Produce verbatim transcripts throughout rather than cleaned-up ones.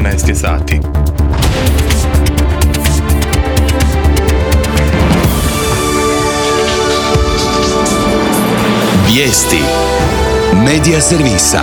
četrnaest sati. Vijesti Medija servisa.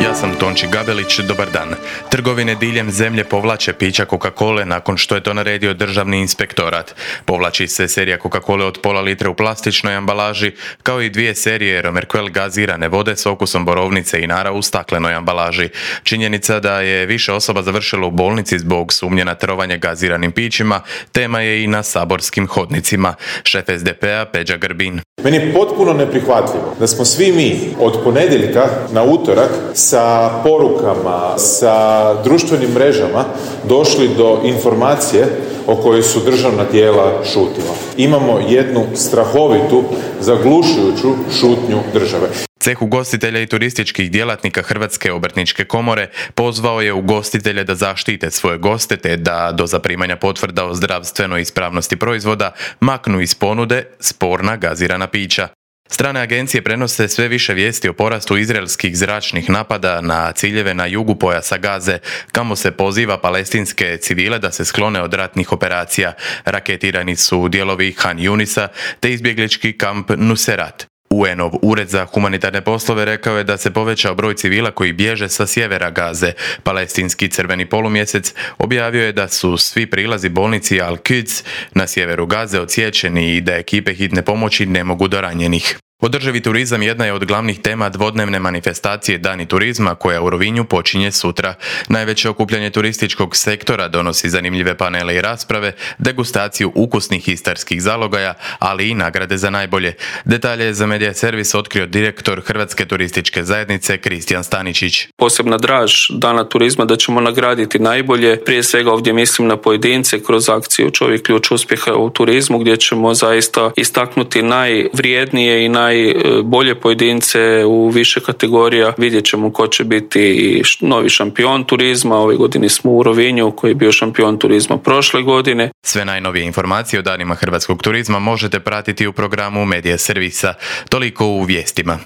Ja sam Tonči Gabelić, dobar dan. Trgovine diljem zemlje povlače pića Coca-Cole nakon što je to naredio državni inspektorat. Povlači se serija Coca-Cole od pola litre u plastičnoj ambalaži, kao i dvije serije Romerquel gazirane vode s okusom borovnice i nara u staklenoj ambalaži. Činjenica da je više osoba završilo u bolnici zbog sumnje na trovanje gaziranim pićima, tema je i na saborskim hodnicima. Šef es de pe a Peđa Grbin. Meni je potpuno neprihvatljivo da smo svi mi od ponedjeljka na utorak sa porukama, sa društvenim mrežama došli do informacije o kojoj su državna tijela šutila. Imamo jednu strahovitu, zaglušujuću šutnju države. Ceh ugostitelja i turističkih djelatnika Hrvatske obrtničke komore pozvao je ugostitelje da zaštite svoje goste te da do zaprimanja potvrda o zdravstvenoj ispravnosti proizvoda maknu iz ponude sporna gazirana pića. Strane agencije prenose sve više vijesti o porastu izraelskih zračnih napada na ciljeve na jugu pojasa Gaze, kamo se poziva palestinske civile da se sklone od ratnih operacija. Raketirani su dijelovi Han Junisa te izbjeglički kamp Nuserat. u en-ov ured za humanitarne poslove rekao je da se povećao broj civila koji bježe sa sjevera Gaze. Palestinski crveni polumjesec objavio je da su svi prilazi bolnici Al-Quds na sjeveru Gaze odsječeni i da ekipe hitne pomoći ne mogu do ranjenih. Održivi turizam jedna je od glavnih tema dvodnevne manifestacije Dani turizma koja u Rovinju počinje sutra. Najveće okupljanje turističkog sektora donosi zanimljive panele i rasprave, degustaciju ukusnih istarskih zalogaja, ali i nagrade za najbolje. Detalje je za Medija servis otkrio direktor Hrvatske turističke zajednice Kristijan Staničić. Posebna draž Dana turizma da ćemo nagraditi najbolje. Prije svega ovdje mislim na pojedince kroz akciju Čovjek ključ uspjeha u turizmu gdje ćemo zaista istaknuti najvrijednije i naj najbolje pojedince u više kategorija. Vidjet ćemo ko će biti novi šampion turizma. Ove godine smo u Rovinju koji je bio šampion turizma prošle godine. Sve najnovije informacije o danima hrvatskog turizma možete pratiti u programu Medija servisa. Toliko u vijestima.